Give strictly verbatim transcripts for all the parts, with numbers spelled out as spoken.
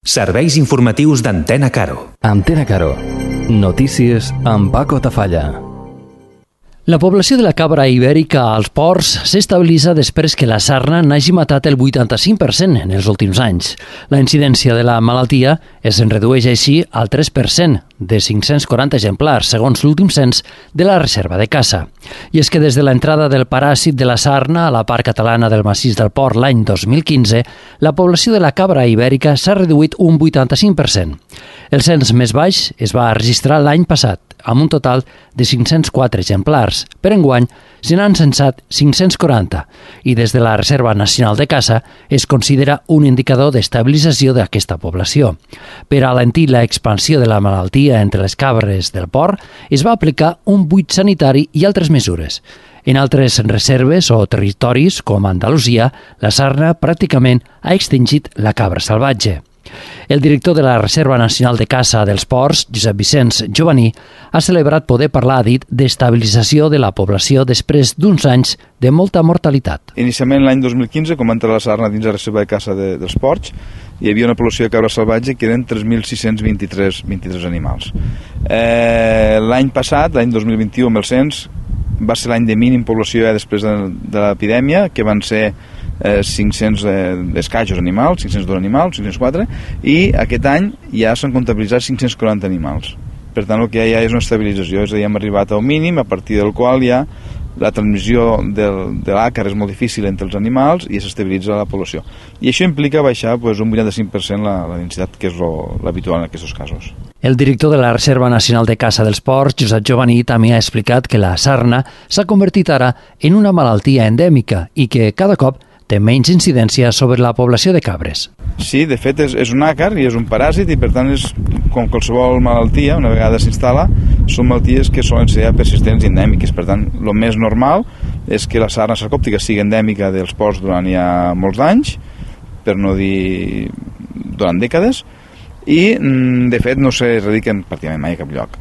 Serveis informatius d'Antena Caro. Antena Caro. Notícies amb Paco Tafalla. La població de la cabra ibèrica als ports s'estabilitza després que la sarna n'hagi matat el vuitanta-cinc per cent en els últims anys. La incidència de la malaltia es redueix així al tres per cent de cinc-cents quaranta exemplars, segons l'últim cens de la reserva de caça. I és que des de l'entrada del paràsit de la sarna a la part catalana del massís del Port l'any dos mil quinze, la població de la cabra ibèrica s'ha reduït un vuitanta-cinc per cent. El cens més baix es va registrar l'any passat, amb un total de cinc-cents quatre exemplars. Per enguany, se n'han censat cinc-cents quaranta i des de la Reserva Nacional de Caça es considera un indicador d'estabilització d'aquesta població. Per alentir l'expansió de la malaltia entre les cabres del port, es va aplicar un buit sanitari i altres mesures. En altres reserves o territoris, com Andalusia, la sarna pràcticament ha extingit la cabra salvatge. El director de la Reserva Nacional de Caça dels Ports, Josep Vicenç Jovaní, ha celebrat poder parlar, ha dit, d'estabilització de la població després d'uns anys de molta mortalitat. Inicialment l'any dos mil quinze, quan va entrar la sarna dins la Reserva de Caça de, dels Ports, hi havia una població de cabra salvatge que eren tres mil sis-cents vint-i-tres animals. Eh, l'any passat, l'any dos mil vint-i-u, amb el cens, va ser l'any de mínim població ja després de, de l'epidèmia, que van ser Eh, cinc-cents eh, escaixos animals, cinc-cents dos animals, cinc-cents quatre, i aquest any ja s'han comptabilitzat cinc-cents quaranta animals. Per tant, el que hi ha ja és una estabilització, és a dir, hem arribat al mínim, a partir del qual ja la transmissió del, de l'àcar és molt difícil entre els animals i s'estabilitza la població. I això implica baixar pues, un vuitanta-cinc per cent la, la densitat, que és lo, l'habitual en aquests casos. El director de la Reserva Nacional de Caça dels Ports, Josep Jovaní, també ha explicat que la sarna s'ha convertit ara en una malaltia endèmica i que cada cop té menys incidència sobre la població de cabres. Sí, de fet és, és un àcar i és un paràsit i per tant és com qualsevol malaltia, una vegada s'instal·la, són malalties que solen ser persistents i endèmiques. Per tant, el més normal és que la sarna sarcòptica sigui endèmica dels ports durant ja molts anys, per no dir durant dècades, i de fet no s'erradiquen pràcticament mai a cap lloc.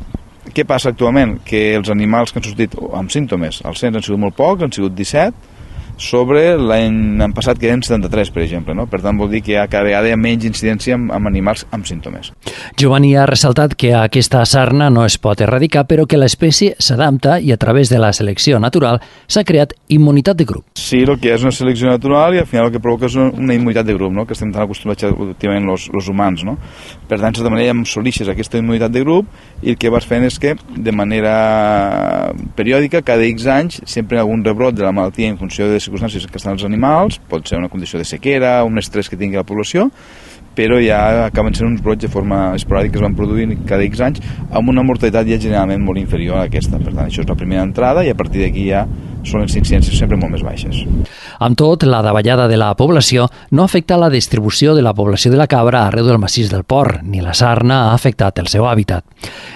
Què passa actualment? Que els animals que han sortit amb símptomes, els cens han sigut molt pocs, han sigut disset, sobre l'any passat que eren setanta-tres, per exemple. No? Per tant, vol dir que hi ha cada vegada hi ha menys incidència amb, amb animals amb símptomes. Jovaní ha ressaltat que aquesta sarna no es pot erradicar, però que l'espècie s'adapta i a través de la selecció natural s'ha creat immunitat de grup. Sí, el que és una selecció natural i al final el que provoca és una immunitat de grup, no? Que estem tan acostumats últimament els, els humans. No? Per tant, de manera em solixes aquesta immunitat de grup i el que vas fent és que de manera periòdica, cada X anys, sempre hi ha algun rebrot de la malaltia en funció de circumstàncies que estan els animals, pot ser una condició de sequera, un estrès que tingui la població, però ja acaben sent uns brots de forma esporàdica que es van produir cada X anys amb una mortalitat ja generalment molt inferior a aquesta. Per tant, això és la primera entrada i a partir d'aquí ja són les incidències sempre molt més baixes. Amb tot, la davallada de la població no afecta la distribució de la població de la cabra arreu del massís del Port, ni la sarna ha afectat el seu hàbitat.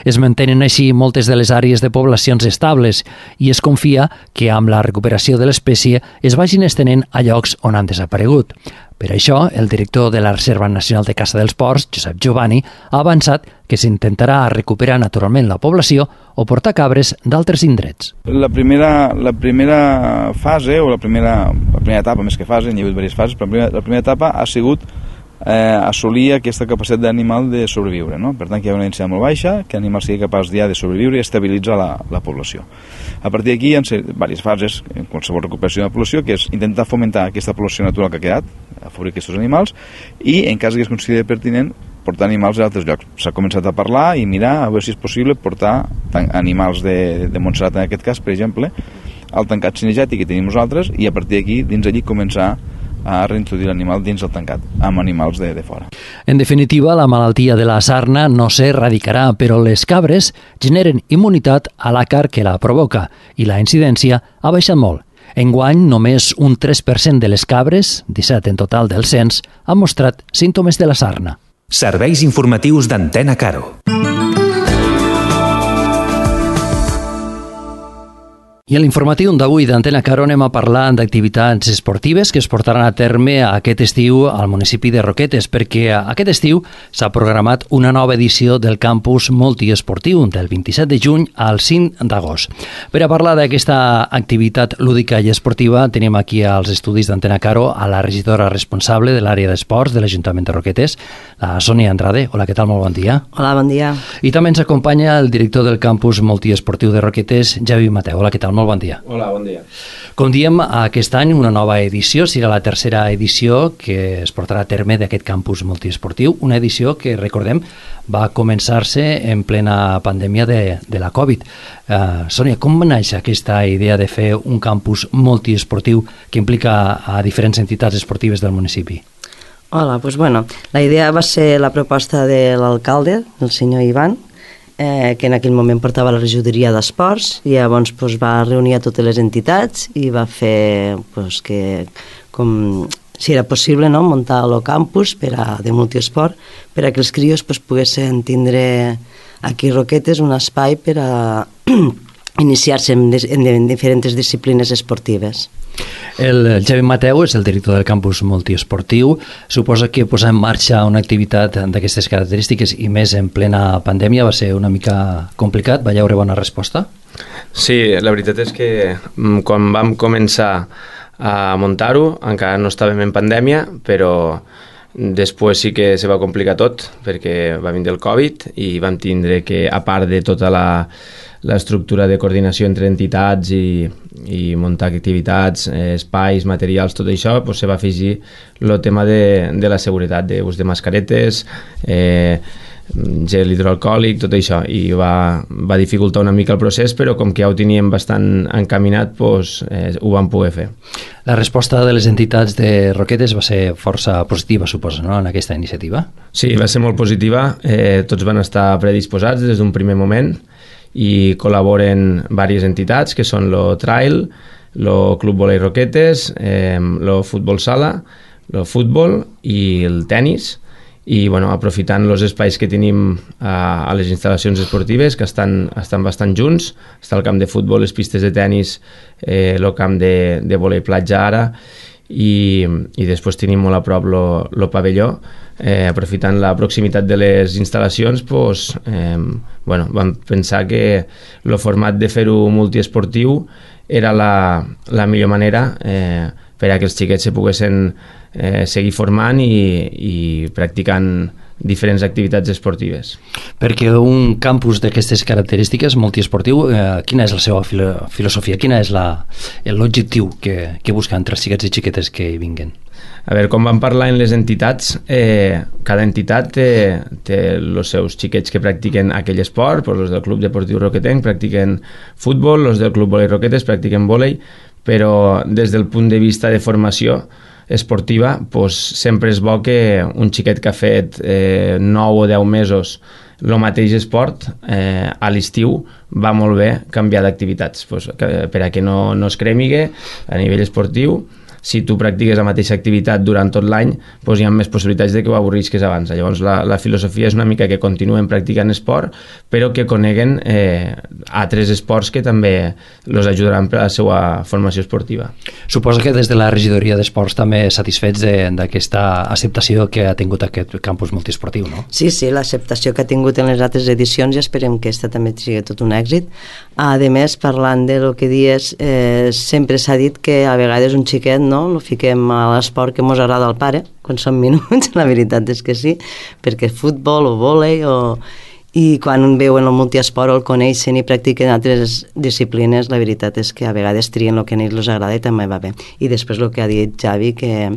Es mantenen així moltes de les àrees de poblacions estables i es confia que amb la recuperació de l'espècie es vagin estenent a llocs on han desaparegut. Per això, el director de la Reserva Nacional de Caça dels Ports, Josep Jovaní, ha avançat que s'intentarà recuperar naturalment la població o portar cabres d'altres indrets. La primera, la primera fase, o la primera, la primera etapa, més que fase, hi ha hagut diverses fases, però la primera, la primera etapa ha sigut eh, assolir aquesta capacitat d'animal de sobreviure. No? Per tant, que hi ha una densitat molt baixa, que l'animal sigui capaç ja de sobreviure i estabilitzar la, la població. A partir d'aquí hi ha diverses fases en qualsevol recuperació de la població, que és intentar fomentar aquesta població natural que ha quedat, afavorir aquests animals, i en cas que es consideri pertinent portar animals a altres llocs. S'ha començat a parlar i mirar a veure si és possible portar animals de, de Montserrat, en aquest cas, per exemple, al tancat cinegètic que tenim nosaltres, i a partir d'aquí, dins allí, començar a reintroduir l'animal dins el tancat, amb animals de, de fora. En definitiva, la malaltia de la sarna no s'erradicarà, però les cabres generen immunitat a l'àcar que la provoca i la incidència ha baixat molt. Enguany, només un tres per cent de les cabres, disset en total del cens, han mostrat símptomes de la sarna. Serveis informatius d'Antena Caro. I en l'informatiu d'avui d'Antena Caro anem a parlar d'activitats esportives que es portaran a terme aquest estiu al municipi de Roquetes, perquè aquest estiu s'ha programat una nova edició del campus multiesportiu del vint-i-set de juny al cinc d'agost. Per a parlar d'aquesta activitat lúdica i esportiva tenim aquí als estudis d'Antena Caro a la regidora responsable de l'àrea d'esports de l'Ajuntament de Roquetes, la Sònia Andrade. Hola, què tal? Molt bon dia. Hola, bon dia. I també ens acompanya el director del campus multiesportiu de Roquetes, Javi Mateu. Hola, què tal? Molt bon dia. Hola, bon dia. Com diem, aquest any una nova edició, serà la tercera edició que es portarà a terme d'aquest campus multiesportiu, una edició que, recordem, va començar-se en plena pandèmia de, de la Covid. Uh, Sònia, com va néixer aquesta idea de fer un campus multiesportiu que implica a diferents entitats esportives del municipi? Hola, doncs bueno, la idea va ser la proposta de l'alcalde, el senyor Ivan, eh, que en aquell moment portava la regidoria d'esports, i llavors pues, va reunir a totes les entitats i va fer pues, que, com, si era possible, no, muntar el campus per a, de multiesport per a que els crios pues, poguessin tindre aquí a Roquetes un espai per a iniciar-se en, en, en diferents disciplines esportives. El Javi Mateu és el director del campus multiesportiu. Suposa que posar en marxa una activitat d'aquestes característiques i més en plena pandèmia va ser una mica complicat. Va haver bona resposta? Sí, la veritat és que quan vam començar a muntar-ho encara no estàvem en pandèmia, però després sí que se va complicar tot perquè va vindre el Covid i vam tindre que, a part de tota la l'estructura de coordinació entre entitats i, i muntar activitats, eh, espais, materials, tot això, pues, se va afegir el tema de, de la seguretat, d'ús de mascaretes, eh, gel hidroalcohòlic, tot això, i va, va dificultar una mica el procés, però com que ja ho teníem bastant encaminat, pues, eh, ho vam poder fer. La resposta de les entitats de Roquetes va ser força positiva, suposa, no?, en aquesta iniciativa? Sí, va ser molt positiva, eh, tots van estar predisposats des d'un primer moment, i col·laboren diverses entitats que són el Trail, el Club Volei Roquetes, eh, el Futbol Sala, el futbol i el tennis, i bueno, aprofitant els espais que tenim a, a les instal·lacions esportives que estan, estan bastant junts. Està el camp de futbol, les pistes de tennis, eh, el camp de, de volei platja ara, i, i després tenim molt a prop el pavelló. Eh, aprofitant la proximitat de les instal·lacions, pues, eh, bueno, vam pensar que el format de fer-ho multiesportiu era la, la millor manera eh, per a que els xiquets se poguessin eh, seguir formant i, i practicant diferents activitats esportives. Perquè un campus d'aquestes característiques multiesportiu, eh, quina és la seva filo filosofia? Quina és l'objectiu que, que busca entre els xiquets i xiquetes que hi vinguen? A veure, com vam parlar en les entitats, eh, cada entitat té, té els seus xiquets que practiquen aquell esport, doncs els del Club Deportiu Roquetenc practiquen futbol, els del Club Volei Roquetes practiquen volei, però des del punt de vista de formació esportiva, doncs sempre és bo que un xiquet que ha fet eh, nou o deu mesos el mateix esport, eh, a l'estiu va molt bé canviar d'activitats, doncs, per a que no, no es cremigue a nivell esportiu. Si tu practiques la mateixa activitat durant tot l'any, doncs hi ha més possibilitats de que ho avorrisques abans. Llavors la, la filosofia és una mica que continuen practicant esport, però que coneguen eh, altres esports que també els ajudaran per a la seva formació esportiva. Suposo que des de la regidoria d'esports també satisfets d'aquesta acceptació que ha tingut aquest campus multiesportiu, no? Sí, sí, l'acceptació que ha tingut en les altres edicions i esperem que aquesta també sigui tot un èxit. A més, parlant de lo que dies, eh, sempre s'ha dit que a vegades un xiquet no? Lo fiquem a l'esport que mos agrada al pare, quan som minuts, la veritat és que sí, perquè futbol o vòlei o... i quan veuen el multiesport o el coneixen i practiquen altres disciplines, la veritat és que a vegades trien el que a ells els agrada i també va bé. I després el que ha dit Javi, que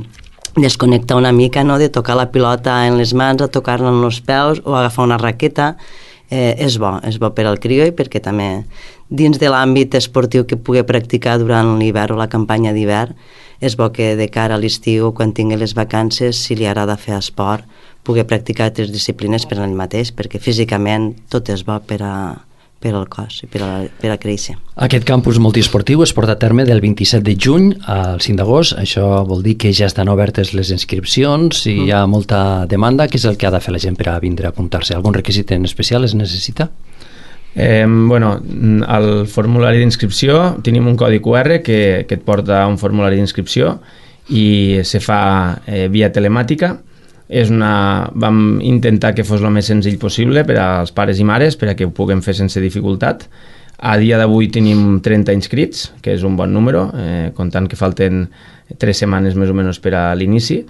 desconnectar una mica, no?, de tocar la pilota en les mans, a tocar-la en els peus o agafar una raqueta, eh, és bo, és bo per al crió i perquè també dins de l'àmbit esportiu que pugui practicar durant l'hivern o la campanya d'hivern, és bo que de cara a l'estiu, quan tingui les vacances, si li agrada fer esport, pugui practicar altres disciplines per ell mateix, perquè físicament tot és bo per a, per al cos i per a, per a créixer. Aquest campus multiesportiu es porta a terme del vint-i-set de juny al cinc d'agost. Això vol dir que ja estan obertes les inscripcions i mm. hi ha molta demanda. Què és el que ha de fer la gent per a vindre a apuntar-se? Algun requisit en especial es necessita? Eh, bueno, al formulari d'inscripció tenim un codi Q R que, que et porta a un formulari d'inscripció i se fa eh, via telemàtica. És una... Vam intentar que fos el més senzill possible per als pares i mares, per a que ho puguem fer sense dificultat. A dia d'avui tenim trenta inscrits, que és un bon número, eh, comptant que falten tres setmanes més o menys per a l'inici.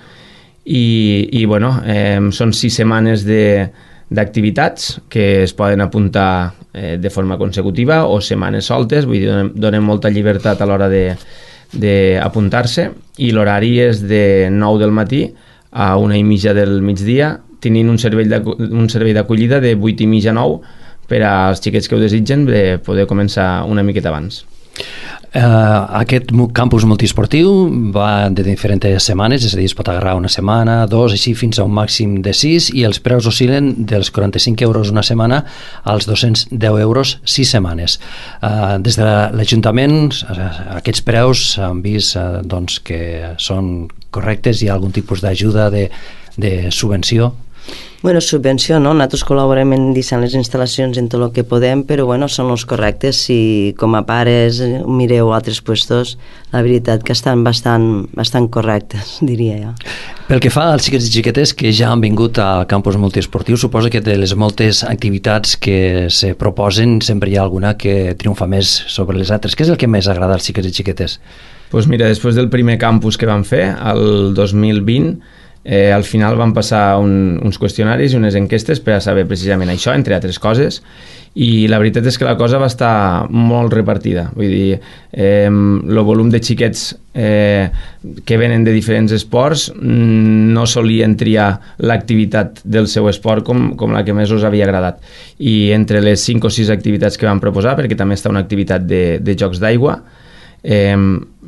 I, i bueno, eh, són sis setmanes de, d'activitats que es poden apuntar eh, de forma consecutiva o setmanes soltes, vull dir, donem, donem molta llibertat a l'hora de, d'apuntar-se, i l'horari és de nou del matí a una i mitja del migdia, tenint un servei un servei d'acollida de vuit i mitja a nou per als xiquets que ho desitgen de poder començar una miqueta abans. Uh, aquest campus multiesportiu va de diferents setmanes, és a dir, es pot agarrar una setmana, dos, així fins a un màxim de sis, i els preus oscil·len dels quaranta-cinc euros una setmana als dos-cents deu euros sis setmanes. Uh, des de l'Ajuntament, aquests preus han vist uh, doncs, que són correctes? Hi ha algun tipus d'ajuda, de, de subvenció? Bueno, subvenció, no? Nosaltres col·laborem en dissenyar les instal·lacions en tot el que podem, però bueno, són els correctes. Si com a pares mireu altres puestos, la veritat que estan bastant, bastant correctes, diria jo. Pel que fa als xiquets i xiquetes que ja han vingut al campus multiesportiu, suposo que de les moltes activitats que se proposen sempre hi ha alguna que triomfa més sobre les altres. Què és el que més agrada als xiquets i xiquetes? Pues mira, després del primer campus que vam fer, el dos mil vint, Eh, al final van passar un, uns qüestionaris i unes enquestes per a saber precisament això, entre altres coses, i la veritat és que la cosa va estar molt repartida. Vull dir, eh, el volum de xiquets eh, que venen de diferents esports no solien triar l'activitat del seu esport com, com la que més us havia agradat. I entre les cinc o sis activitats que vam proposar, perquè també està una activitat de, de jocs d'aigua, eh,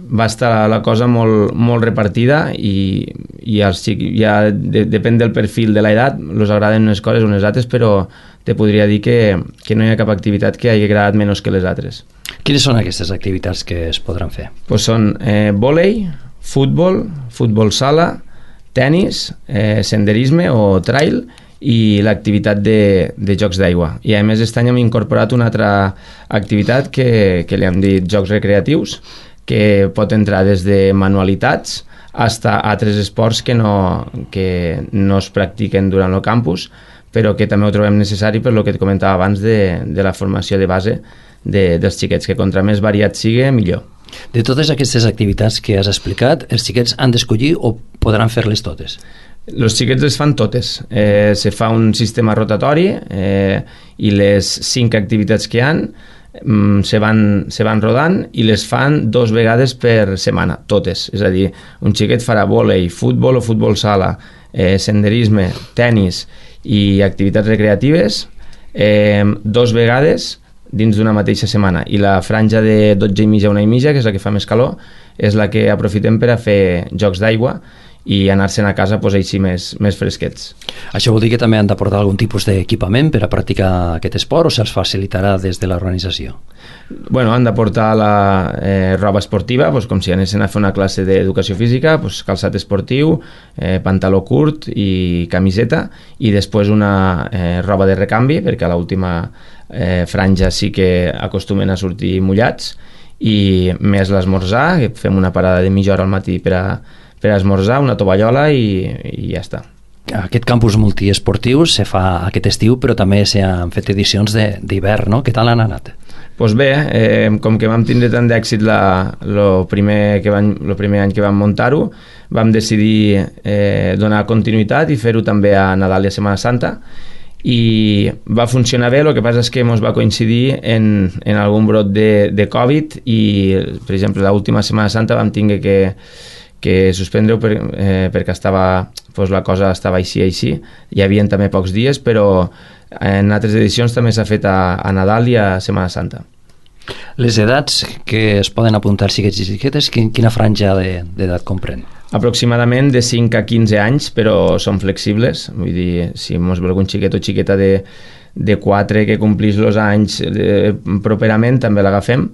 va estar la cosa molt, molt repartida, i, i els xics, ja de, depèn del perfil de l'edat, els agraden unes coses o unes altres, però te podria dir que, que no hi ha cap activitat que hagi agradat menys que les altres. Quines són aquestes activitats que es podran fer? Pues són eh, vòlei, futbol, futbol sala, tennis, eh, senderisme o trail, i l'activitat de, de jocs d'aigua. I a més aquest any hem incorporat una altra activitat que, que li hem dit jocs recreatius, que pot entrar des de manualitats fins a altres esports que no, que no es practiquen durant el campus, però que també ho trobem necessari per el que et comentava abans de, de la formació de base de, dels xiquets, que contra més variat sigui, millor. De totes aquestes activitats que has explicat, els xiquets han d'escollir o podran fer-les totes? Els xiquets les fan totes. Eh, se fa un sistema rotatori eh, i les cinc activitats que hi ha mm, se, van, se van rodant i les fan dos vegades per setmana, totes. És a dir, un xiquet farà vòlei, futbol o futbol sala, eh, senderisme, tennis i activitats recreatives eh, dos vegades dins d'una mateixa setmana, i la franja de dotze i mitja a una i mitja, que és la que fa més calor, és la que aprofitem per a fer jocs d'aigua i anar-se'n a casa pues, així més, més fresquets. Això vol dir que també han d'aportar algun tipus d'equipament per a practicar aquest esport, o se'ls facilitarà des de l'organització? Bueno, han d'aportar la eh, roba esportiva, pues, com si anessin a fer una classe d'educació física, pues, calçat esportiu, eh, pantaló curt i camiseta, i després una eh, roba de recanvi, perquè a l'última eh, franja sí que acostumen a sortir mullats, i més l'esmorzar, que fem una parada de mitja hora al matí per a per a esmorzar, una tovallola i, i ja està. Aquest campus multiesportiu se fa aquest estiu, però també s'han fet edicions d'hivern, no? Què tal han anat? Doncs pues bé, eh, com que vam tindre tant d'èxit el primer, que van, lo primer any que vam muntar-ho, vam decidir eh, donar continuïtat i fer-ho també a Nadal i a Setmana Santa, i va funcionar bé. El que passa és que ens va coincidir en, en algun brot de, de Covid, i per exemple l'última Setmana Santa vam tinguer que que suspendre-ho per, eh, perquè estava, pues, la cosa estava així així. Hi havia també pocs dies, però en altres edicions també s'ha fet a, a Nadal i a Setmana Santa. Les edats que es poden apuntar xiquets i xiquetes, quina franja d'edat comprèn? Aproximadament de cinc a quinze anys, però són flexibles. Vull dir, si ens ve algun xiquet o xiqueta de, de quatre que complís els anys de, properament, també l'agafem.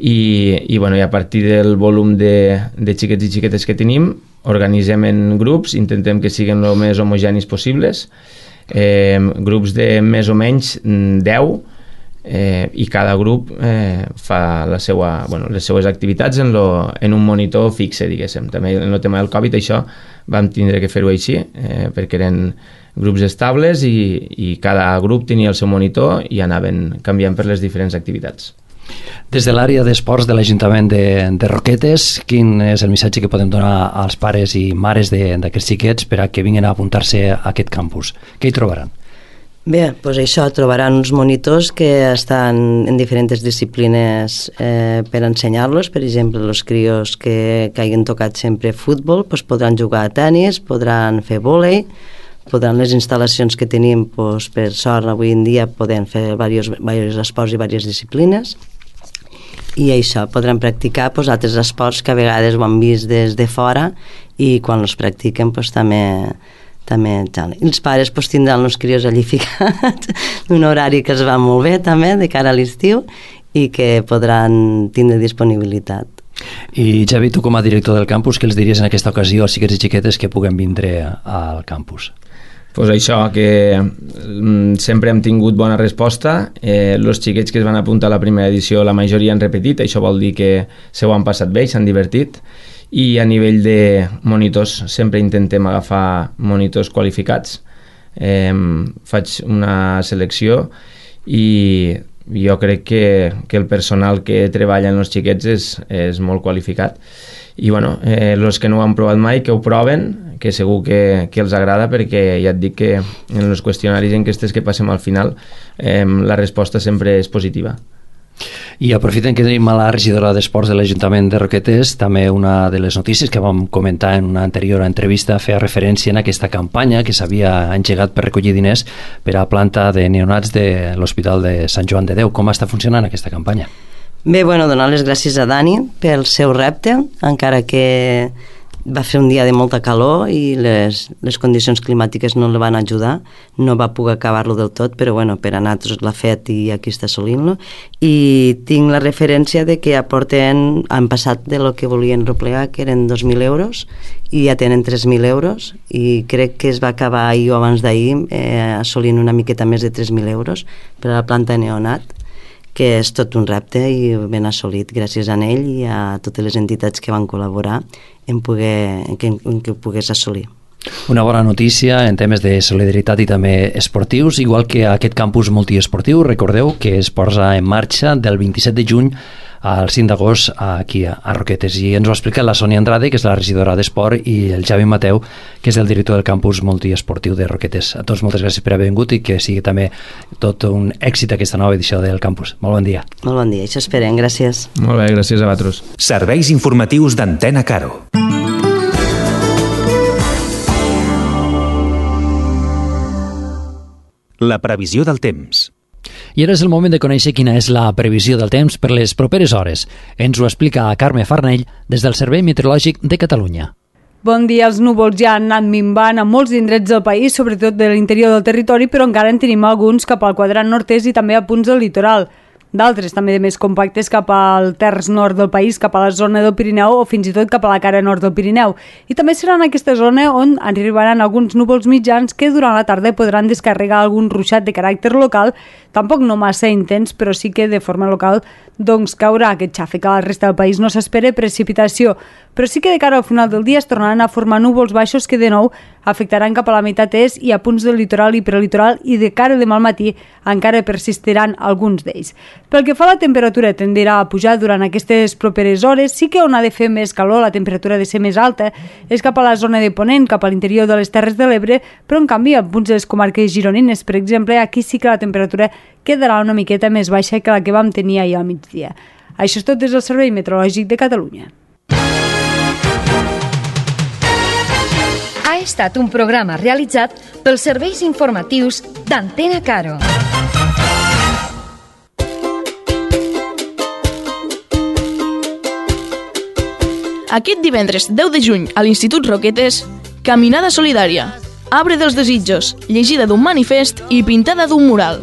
I, i, bueno, i a partir del volum de, de xiquets i xiquetes que tenim, organitzem en grups, intentem que siguin el més homogenis possibles, eh, grups de més o menys deu, eh, i cada grup eh, fa la seua, bueno, les seues activitats en, lo, en un monitor fixe, diguéssim. També en el tema del Covid això vam tindre que fer-ho així, eh, perquè eren grups estables i, i cada grup tenia el seu monitor i anaven canviant per les diferents activitats. Des de l'àrea d'esports de l'Ajuntament de, de Roquetes, quin és el missatge que podem donar als pares i mares d'aquests xiquets per a que vinguin a apuntar-se a aquest campus? Què hi trobaran? Bé, doncs això, trobaran uns monitors que estan en diferents disciplines eh, per ensenyar-los. Per exemple, els crios que, que hagin tocat sempre futbol doncs podran jugar a tenis, podran fer vòlei, podran les instal·lacions que tenim, doncs, per sort, avui en dia podem fer diversos, diversos esports i diverses disciplines. I això, podran practicar doncs, altres esports que a vegades ho han vist des de fora i quan els practiquen doncs, també... també tal. I els pares pues, tindran els crios allí ficats un horari que els va molt bé també de cara a l'estiu i que podran tindre disponibilitat. I Javi, tu com a director del campus, què els diries en aquesta ocasió als xiquets i xiquetes que puguen vindre al campus? Pues això, que sempre hem tingut bona resposta. Eh, els xiquets que es van apuntar a la primera edició, la majoria han repetit, això vol dir que se ho han passat bé i s'han divertit. I a nivell de monitors sempre intentem agafar monitors qualificats. Eh, faig una selecció i jo crec que, que el personal que treballa en els xiquets és, és molt qualificat. I bueno, eh, els que no ho han provat mai, que ho proven, que segur que, que els agrada, perquè ja et dic que en els qüestionaris enquestes que passem al final eh, la resposta sempre és positiva. I aprofitem que tenim a la regidora d'Esports de l'Ajuntament de Roquetes, també una de les notícies que vam comentar en una anterior entrevista feia referència en aquesta campanya que s'havia engegat per recollir diners per a planta de neonats de l'Hospital de Sant Joan de Déu. Com està funcionant aquesta campanya? Bé, bueno, donar les gràcies a Dani pel seu repte, encara que va fer un dia de molta calor i les, les condicions climàtiques no el van ajudar, no va poder acabar-lo del tot, però bueno, per a nosaltres l'ha fet i aquí està assolint-lo. I tinc la referència de que aporten, han passat de lo que volien replegar, que eren dos mil euros, i ja tenen tres mil euros, i crec que es va acabar ahir o abans d'ahir eh, assolint una miqueta més de tres mil euros per a la planta neonat, que és tot un repte i ben assolit gràcies a ell i a totes les entitats que van col·laborar en, poder, en, que, en que ho pogués assolir. Una bona notícia en temes de solidaritat i també esportius, igual que aquest campus multiesportiu, recordeu que es posa en marxa del vint-i-set de juny al cinc d'agost aquí a Roquetes, i ens ho explica la Sònia Andrade, que és la regidora d'Esport, i el Javi Mateu, que és el director del campus multiesportiu de Roquetes. A tots moltes gràcies per haver vingut i que sigui també tot un èxit aquesta nova edició del campus. Molt bon dia. Molt bon dia, això esperem, gràcies. Molt bé, gràcies a vosaltres. Serveis informatius d'Antena Caro. La previsió del temps. I ara és el moment de conèixer quina és la previsió del temps per les properes hores. Ens ho explica Carme Farnell des del Servei Meteorològic de Catalunya. Bon dia, els núvols ja han anat minvant a molts indrets del país, sobretot de l'interior del territori, però encara en tenim alguns cap al quadrant nord-est i també a punts del litoral. D'altres també de més compactes cap al terç nord del país, cap a la zona del Pirineu o fins i tot cap a la cara nord del Pirineu. I també serà en aquesta zona on arribaran alguns núvols mitjans que durant la tarda podran descarregar algun ruixat de caràcter local, tampoc no massa intens, però sí que de forma local doncs caurà aquest xàfec. A la resta del país no s'espera precipitació, però sí que de cara al final del dia es tornaran a formar núvols baixos que de nou afectaran cap a la meitat est i a punts del litoral i prelitoral, i de cara demà al matí encara persistiran alguns d'ells. Pel que fa a la temperatura, tendirà a pujar durant aquestes properes hores. Sí que on ha de fer més calor, la temperatura ha de ser més alta, és cap a la zona de Ponent, cap a l'interior de les Terres de l'Ebre, però en canvi en punts de les comarques gironines, per exemple, aquí sí que la temperatura quedarà una miqueta més baixa que la que vam tenir ahir al migdia. Això és tot des del Servei Meteorològic de Catalunya. Ha estat un programa realitzat pels serveis informatius d'Antena Caro. Aquest divendres deu de juny a l'Institut Roquetes, Caminada Solidària, Arbre dels Desitjos, llegida d'un manifest i pintada d'un mural.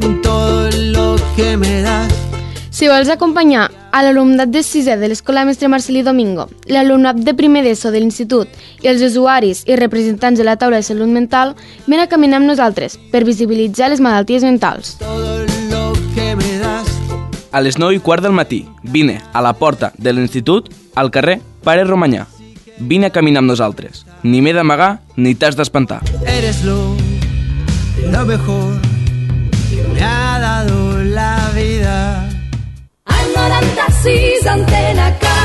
Si vols acompanyar a l'alumnat de sisè de l'Escola Mestre Marcelí Domingo, l'alumnat de primer d'ESO de l'Institut i els usuaris i representants de la taula de salut mental, ven a caminar amb nosaltres per visibilitzar les malalties mentals. Todo lo que me das. a les nou i quart del matí. Vine a la porta de l'institut, al carrer Pare Romanyà. Vine a caminar amb nosaltres. Ni m'he d'amagar ni t'has d'espantar. Eres lo, lo mejor que me ha dado la vida. Al noranta-sis, Antena Caro.